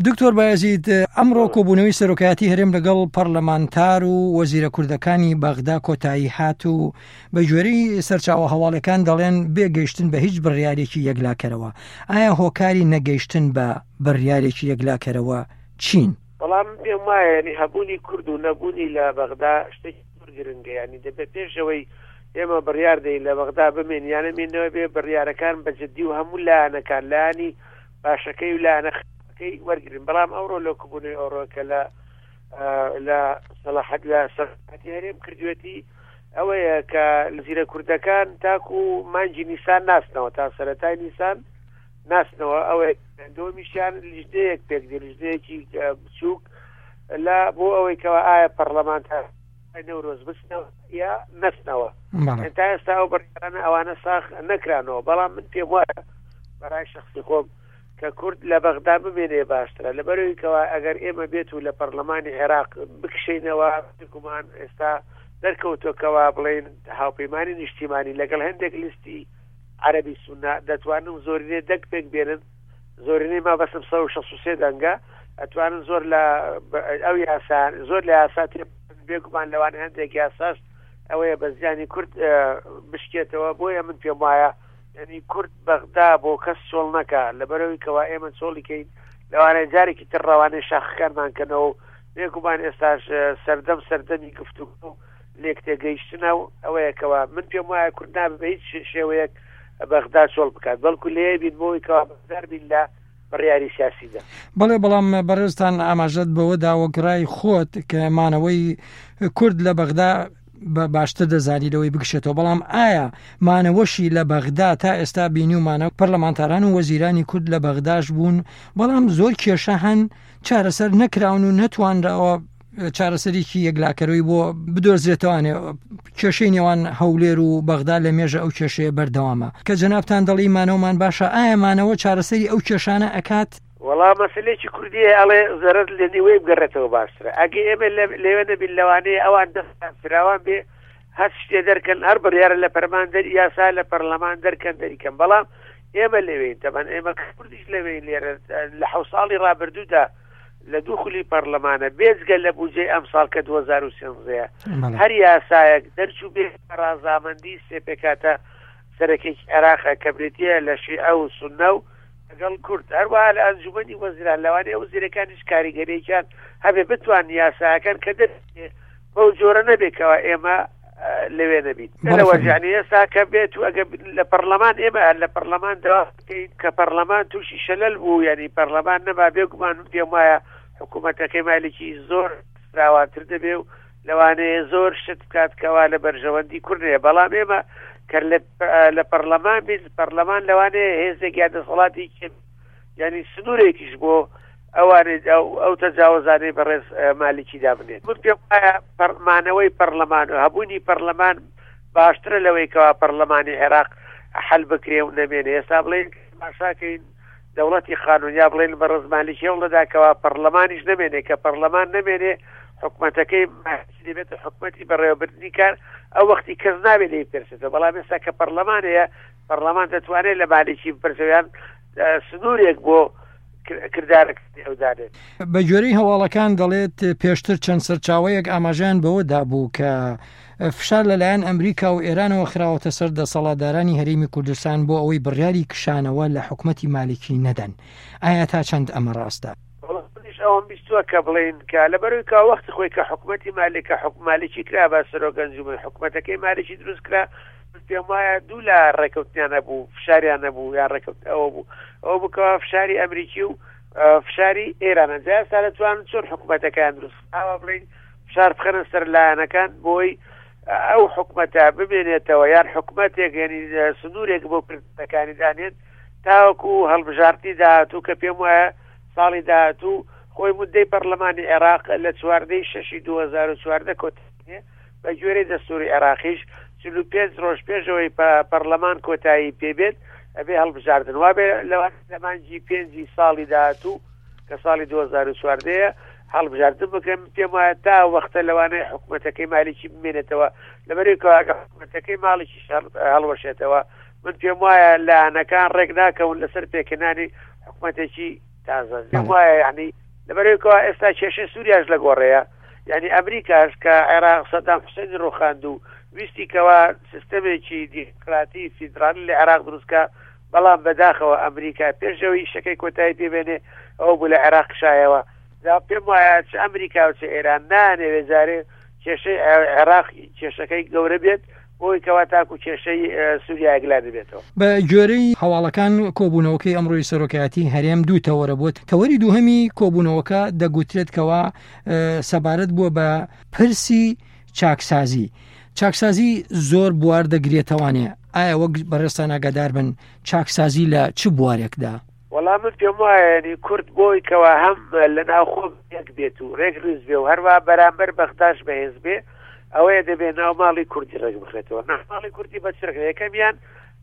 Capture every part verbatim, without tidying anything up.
دکتۆر بایەزید، ئەمڕۆ کۆبوونەوەی سەرۆکایەتی هەرێم لەگەڵ پەرلەمانتار و وەزیرە کوردەکانی بەغدا کۆتایی هات و بە گوێرەی سەرچاوە هەواڵەکان دەڵێن بێگەیشتن بە هیچ بڕیارێکی یەکلاکەرەوە. ئایا هۆکاری نەگەیشتن بە بڕیارێکی یەکلاکەرەوە چین؟ بەڵام پێم وایە ینی هەبوونی کورد و نەبوونی لە بەغدا شتێکی زۆر گرنگە، ینی دەبێت پێشەوەی ئێمە بڕیار دەین لە بەغدا بمێن یان نەمێنەوە بێ بڕیارەکان بە جدی و هەموو لایەنەکان لایەنی باشەکەی و لایەنە خراپەکەی وەرگرن. بەڵام ئەوڕۆ لە کۆبوونەوەی ئەوڕۆ کە لە لە سەڵاحەت لە سەرۆکایەتی هەرێم کردوێتی ئەوەیە کە زیرە کوردەکان تاکو مانگی نیسان ناسنەوە، تا سەرەتای نیسان ناسنەوە. ئەوەیە دووەمیشیان لیژنەیەک پێک دێ، لیژنەیەکی بچووک لە بۆ ئەوەی کەوا ئایا پەرلەمانتار نەورۆز بچنەوە یا نەچنەوە. تا ئێستا ئەو بڕیارانە ئەوانە ساغ نەکرانەوە. بەڵام من پێم وایە بەڕای شخصی خۆم کە کورد لە بەغدا بمێنێ باشترە، لەبەرەوەی کەوا ئەگەر ئێمە بێت و لە پەرلەمانی عێراق بکشینەوە، گومان ئێستا دەرکەوتۆکەوە بڵێن هاوپەیمانی نیشتیمانی لەگەڵ هەندێک لیستی عەرەبی سونە دەتوانن زۆرینەی دەنگ پێک بێنن، زۆرینەی ما بەسم سەد و شەست و سێ دەنگە، ئەتوانن زۆر لە ئەو یاسا زۆر لە یاسا تێ بێگومان لەوانە هەندێک یاساش ئەوەیە بە زیانی کورد بشکێتەوە. بۆیە من پێم وایە یعنی کورد بەغدا بۆ کەس چۆڵ نەکا، لەبەرەوەی کەوا ئێمە چۆڵی کەین لەوانەیە جارێکی تر ڕەوانەی شاخەکانمان کەنەوە و بێگومان ئێستاش سەردەم سەردەمی گفتوگۆ و لێک تێگەیشتنە و ئەوەیە کەوا من پێم وایە کورد نابێ بە هیچ شێوەیەک بەغدا چۆڵ بکات، بەڵکو لێ بین بۆی کەوا بەشدار بین لە بڕیاری سیاسیدا. بەڵێ، بەڵام بەڕێزتان ئاماژەت بەوە دا وەک ڕای خۆت کە مانەوەی کورد لە بەغدا بە باشتر دەزانی لەوەی بکشێتەوە، بەڵام ئایا مانەوەشی لە بەغدا تا ئێستا بینیومانە پەرلەمانتاران و وەزیرانی کورد لە بەغداش بوون، بەڵام زۆر کێشە هەن چارەسەر نەکراون و نەتوانراوە چارەسەرێکی یەکلاکەرەوەی بۆ بدۆزرێتوانێ. کێشەی نێوان هەولێر و بەغدا لە مێژە ئەو کێشەیە بەردەوامە کە جەنابتان دەڵی مانەوەمان باشە، ئایا مانەوە چارەسەری ئەو کێشانە ئەکات؟ وەڵا مەسلێکی کوردیە ئەڵێ زەرەر لە نیوەی بگەڕێتەوە باشترە. ئەگە ئێمە لەوێ نەبین لەوانەیە ئەوان دەستیان فراوان بێ هەر شتێ دەرکەن، هەر بڕیارە لە پەرمان دەر یاسا لە پەرلەمان دەرکەن دەریکەن. بەڵام ئێمە لەوێین، تەبەن ئێمە کوردیش لەوێین لێرە لە حەوت ساڵی ڕابردوودا لە دوو خولی پەرلەمانە بێجگە لە بودجەی ئەمساڵ کە دوو هەزار و سێزدە هەر یاسایەک دەرچوو بێ ڕازامەندی سێ پێکهاتە سەرەکێکی عێراقە کە بریتییە لە شیعە و سوننە و لەگەڵ کورد. هەروەها لە ئەنجومەنی وەزیران لەوانەیە وەزیرەکانیش کاریگەریەکیان هەبێ بتوان یاساکان کە دەرچێ بەو جۆرە نەبێ کەوا ئێمە لەوێ نەبین. لەوە یعنی ئێستا کە بێت و ئەگە لە پەرلەمان ئێمە لە پەرلەمان داوا بکەین کە پەرلەمان تووشی شەلەل بوو، یعنی پەرلەمان نەما، بێگومان من پێم وایە حکوومەتەکەی مالکی زۆر فراوانتر دەبێ و لەوانەیە زۆر شت بکات کەوا لە بەرژەوەندی کورد نەیە. بەڵام ئێمە کە لە پەرلەمان بین، پەرلەمان لەوانەیە هێزێک یا دەسەڵاتی یعنی سنوورێکیش بۆ ئەوانەی ئەو تەجاوزانەی بەڕێز مالکی دابنێت. من پێم وایە مانەوەی پەرلەمان و هەبوونی پەرلەمان باشترە لەوەی کەوا پەرلەمانی عێراق حل بکرێ و نەمێنێ. ئێستا بڵێن ماشاکەین دەوڵەتی قانون یا بڵێن بەڕێز مالکی هەوڵ دەدا کەوا پەرلەمانیش نەمێنێ، کە پەرلەمان نەمێنێ حکومەتەکەی دەبێتە حکومەتی بەڕێوەبردنی کار، ئەو وەختی کەس نابێت لێی بپرسێتەوە. بەڵام ئێستا کە پەرلەمان هەیە، پەرلەمان دەتوانێت لە مالکی بپرسێت یان سنوورێک بۆ کردارەکانی ئەو دانێت. بە گوێرەی هەواڵەکان دەڵێت پێشتر چەند سەرچاوەیەک ئاماژەیان بەوە دابوو کە فشار لەلایەن ئەمریکا و ئێرانەوە خراوەتە سەر دەسەڵاتدارانی هەرێمی کوردستان بۆ ئەوەی بڕیاری کشانەوە لە حکومەتی مالکی نەدەن. ئایا تا چەند ئەمە ڕاستە؟ منیش ئەوەم بیستووە کە بڵێن کە لەبەرەوەی کە وەختی خۆی کە حکومەتی مالک کە حکوم مالکی کرا بە سەرۆک ئەنجومەن حکومەتەکەی مالکی دروست کرا، من پێم وایە دوو لا ڕێکەوتنیان هەبوو، فشاریان هەبوو یان ڕێکەوت ئەوە بوو ئەوە بوو کەوا فشاری ئەمریکی و فشاری ئێرانە. جا ئێستا دەتوانن چۆن حکومەتەکەیان دروست ئاوا بڵێن فشار بخەنە سەر لایەنەکان بۆی ئەو حکومەتە بمێنێتەوە یان حکومەتێک یعنی سنوورێک بۆ کردەکانی دانێن تاوەکو هەڵبژاردنی داهاتوو کە پێم وایە ساڵی داهاتوو خۆی مدەی پەرلەمانی عێراق لە چواردەی شەشی دوو هەزار و چواردە کۆتایی بە گوێرەی دەستوری عێراقیش چل و پێنج ڕۆژ پێشەوەی پەرلەمان کۆتایی پێبێت ئەبێ هەڵبژاردن وابێ لە مانگی پێنجی ساڵی داهاتوو کە ساڵی دوو هەزار و چواردە هەڵبژاردن بکەن. پێم وایە تا وەختە لەوانەیە حکومەتەکەی مالکی بمێنێتەوە، لەبەرەوەی کە حکومەتەکەی مالکیش هەڵوەشێتەوە من پێم وایە لایەنەکان ڕێک ناکەون لەسەر پێکهێنانی حکومەتێکی تازە پێم وایە یعنی لەبەرەوەی ئێستا کێشەی سووریاش لە گۆڕەیە، یعنی ئەمریکاش کە عێراق سەدام حوسێنی ڕوخاند و ویستی کەوا سیستەمێکی دیموکراتی فیدرالی لە عێراق دروستکە، بەڵام بەداخەوە ئەمریکا پێشەوەی ئیشەکەی کۆتایی پێبێنێ ئەوە بوو لە عێراق کشایەوە. پێم وایە چ ئەمریکا و چ ئێران نانەوێ جارێ کێشەی عێراق کێشەکەی گەورە بێت بۆی کەوا تاکو کێشەی سووریا یەکلا دەبێتەوە. بە گوێرەی هەواڵەکان کۆبوونەوەکەی ئەمڕۆی سەرۆکایەتی هەرێم دوو تەوەرە بووە. تەوەری دووهەمی کۆبوونەوەکە دەگوترێت کەوا سەبارەت بووە بە پرسی چاکسازی. چاکسازی زۆر بوار دەگرێتەوانێ، ئایا وەک بەڕێزتان ئاگادار بن چاکسازی لە چ بوارێکدا؟ وەڵام من پێم وایە ینی کورد بۆی کەوا هەم لە ناوخۆ یەک بێت و ڕێک ڕیز بێ و هەروە بەرامبەر بەغداش بەهێز بێ، ئەوەیە دەبێ ناو ماڵی کوردی ڕێک بخرێتەوە. ناو ماڵی کوردی بە چ ڕێک؟ یەکەمیان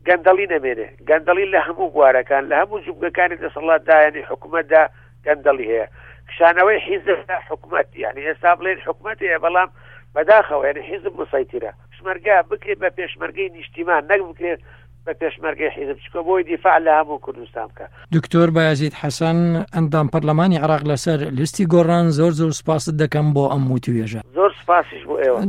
گەندەڵی نەمێنێ، گەندەڵی لە هەموو بوارەکان لە هەموو جومگەکانی دەسەڵاتدا یعنی حکوومەتدا گەندەڵی هەیە. کشانەوەی حیزب لە حکوومەت، یعنی ئێستا بڵێن حکوومەت هەیە بەڵام بەداخەوە یعنی حیزب مسەیتیرە. پێشمەرگە بکرێت بە پێشمەرگەی نیشتیمان نەک بکرێت بە پێشمەرگەی حیزب، چکە بۆی دیفاع لە هەموو کوردستان بکە. دکتۆر بایەزید حەسەن ئەندام پەرلەمانی عێراق لەسەر لیستی گۆڕان، زۆر زۆر سوپاست دەکەم بۆ ئەم وتوێژە. زۆر سوپاسیش بۆ ئێوە.